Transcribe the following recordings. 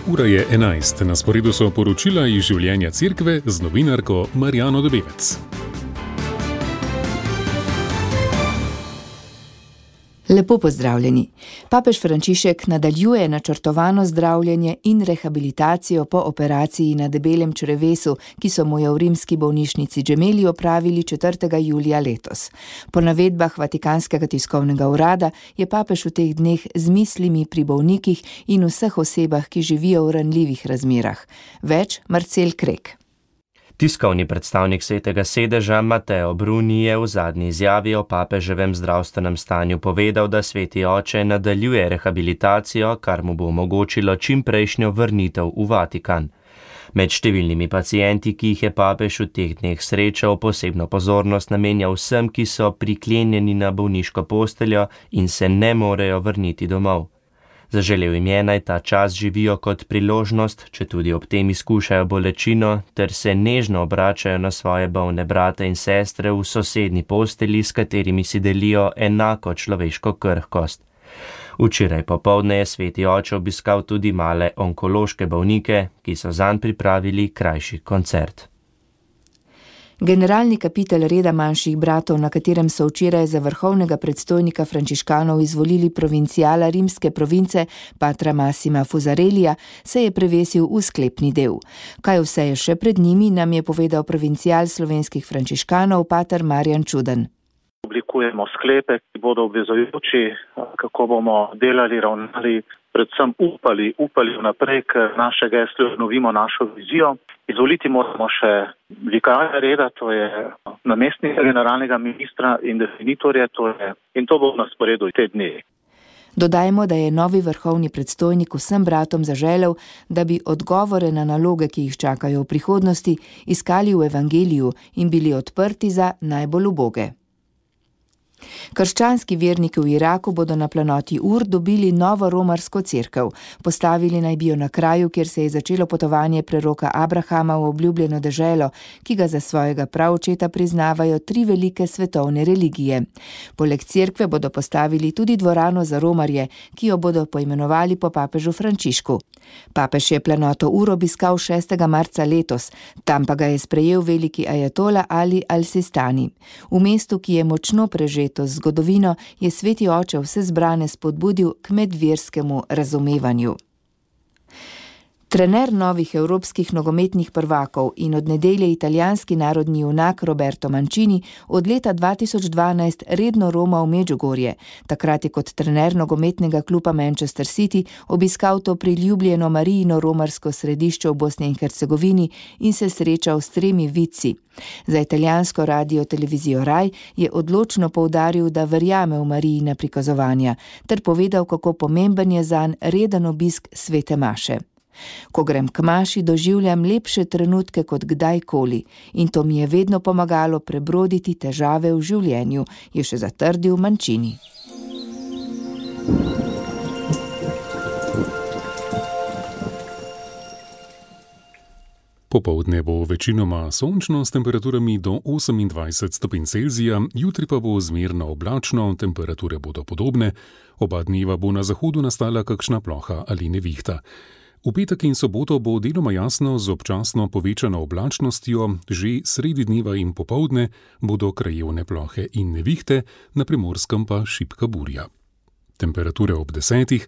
Ura je 11, na sporedu so poročila iz življenja cerkve z novinarko Marjano Dobevec. Lepo pozdravljeni. Papež Frančišek nadaljuje načrtovano zdravljenje in rehabilitacijo po operaciji na debelem črevesu, ki so mu jo v rimski bolnišnici Gemelli opravili 4. julija letos. Po navedbah Vatikanskega tiskovnega urada je papež v teh dneh z mislimi pri bolnikih in vseh osebah, ki živijo v ranljivih razmerah. Več Marcel Krek. Tiskovni predstavnik Svetega sedeža Matteo Bruni je v zadnji izjavi o papeževem zdravstvenem stanju povedal, da Sveti oče nadaljuje rehabilitacijo, kar mu bo omogočilo čimprejšnjo vrnitev v Vatikan. Med številnimi pacienti, ki jih je papež v teh dneh srečal, posebno pozornost namenja vsem, ki so priklenjeni na bolniško posteljo in se ne morejo vrniti domov. Zaželel jim je, naj ta čas živijo kot priložnost, četudi ob tem izkušajo bolečino, ter se nežno obračajo na svoje bolne brate in sestre v sosednji posteli, s katerimi si delijo enako človeško krhkost. Včeraj popoldne je Sveti oče obiskal tudi male onkološke bolnike, ki so zanj pripravili krajši koncert. Generalni kapitel reda manjših bratov, na katerem so včeraj za vrhovnega predstojnika frančiškanov izvolili provincijala rimske province patra Massima Fusarellija, se je prevesil v sklepni del. Kaj vse je še pred njimi, nam je povedal provincijal slovenskih frančiškanov pater Marjan Čuden. Oblikujemo sklepe, ki bodo obvezujoči, kako bomo delali, ravnali, predvsem upali vnaprej, ker naše geslo obnovimo našo vizijo. Izvoliti moramo še vikarja reda, to je namestnika generalnega ministra in definitorje, in to bo na sporedu te dni. Dodajmo, da je novi vrhovni predstojnik vsem bratom zaželel, da bi odgovore na naloge, ki jih čakajo v prihodnosti, iskali v evangeliju in bili odprti za najbolj uboge. Krščanski verniki v Iraku bodo na planoti Ur dobili novo romarsko cerkev. Postavili naj bi jo na kraju, kjer se je začelo potovanje preroka Abrahama v obljubljeno deželo, ki ga za svojega praočeta priznavajo 3 velike svetovne religije. Poleg cerkve bodo postavili tudi dvorano za romarje, ki jo bodo poimenovali po papežu Frančišku. Papež je planoto Ur obiskal 6. marca letos, tam pa ga je sprejel veliki ajatola Ali al-Sistani. V mestu, ki je močno prežeto z zgodovino, je Sveti oče vse zbrane spodbudil k medverskemu razumevanju. Trener novih evropskih nogometnih prvakov in od nedelje italijanski narodni junak Roberto Mancini od leta 2012 redno roma v Medžugorje. Takrat je kot trener nogometnega kluba Manchester City obiskal to priljubljeno Marijino romarsko središče v Bosni in Hercegovini in se srečal s 3 vidci. Za italijansko radio televizijo Rai je odločno poudaril, da verjame v Marijina prikazovanja, ter povedal, kako pomemben je zanj reden obisk svete maše. Ko grem k maši, doživljam lepše trenutke kot kdajkoli in to mi je vedno pomagalo prebroditi težave v življenju, je še zatrdil Mancini. Popoldne bo večinoma sončno s temperaturami do 28 stopinj Celzija, jutri pa bo zmerno oblačno, temperature bodo podobne, oba dneva bo na zahodu nastala kakšna ploha ali nevihta. V petek in soboto bo deloma jasno z občasno povečano oblačnostjo, že sredi dneva in popoldne bodo krajevne plohe in nevihte, na Primorskem pa šibka burja. Temperature ob 10,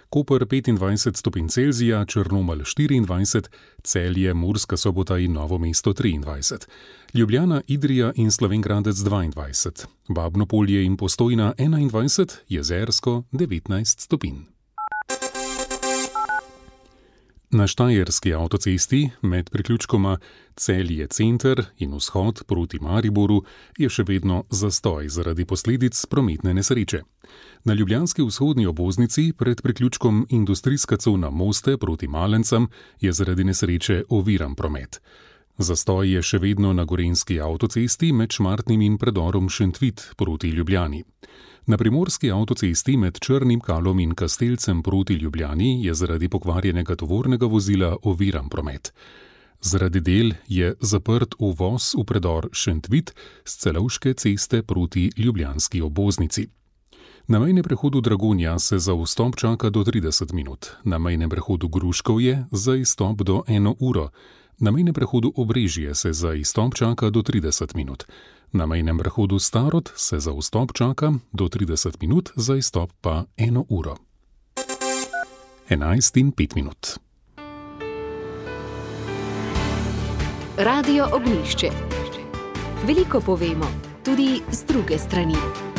Koper 25 stopinj Celzija, Črnomelj 24, Celje, Murska Sobota in Novo mesto 23, Ljubljana, Idrija in Slovenj Gradec 22, Babno Polje in Postojna 21, Jezersko 19 stopinj. Na Štajerski avtocesti med priključkoma Celje center in vzhod proti Mariboru je še vedno zastoj zaradi posledic prometne nesreče. Na ljubljanski vzhodni obvoznici pred priključkom industrijska cona Moste proti Malencem je zaradi nesreče oviran promet. Zastoj je še vedno na Gorenjski avtocesti med Šmartnim in predorom Šentvit proti Ljubljani. Na Primorski avtocesti med Črnim Kalom in Kastelcem proti Ljubljani je zaradi pokvarjenega tovornega vozila oviran promet. Zaradi del je zaprt uvoz v predor Šentvit s Celovške ceste proti ljubljanski obvoznici. Na mejnem prehodu Dragonja se za vstop čaka do 30 minut, na mejnem prehodu Gruškovje za izstop do 1 uro, na mejnem prehodu Obrežje se za izstop čaka do 30 minut, na mejnem prehodu Starod se za vstop čaka do 30 minut, za izstop pa 1 uro. 11:05. Radio Ognjišče. Veliko povemo, tudi z druge strani.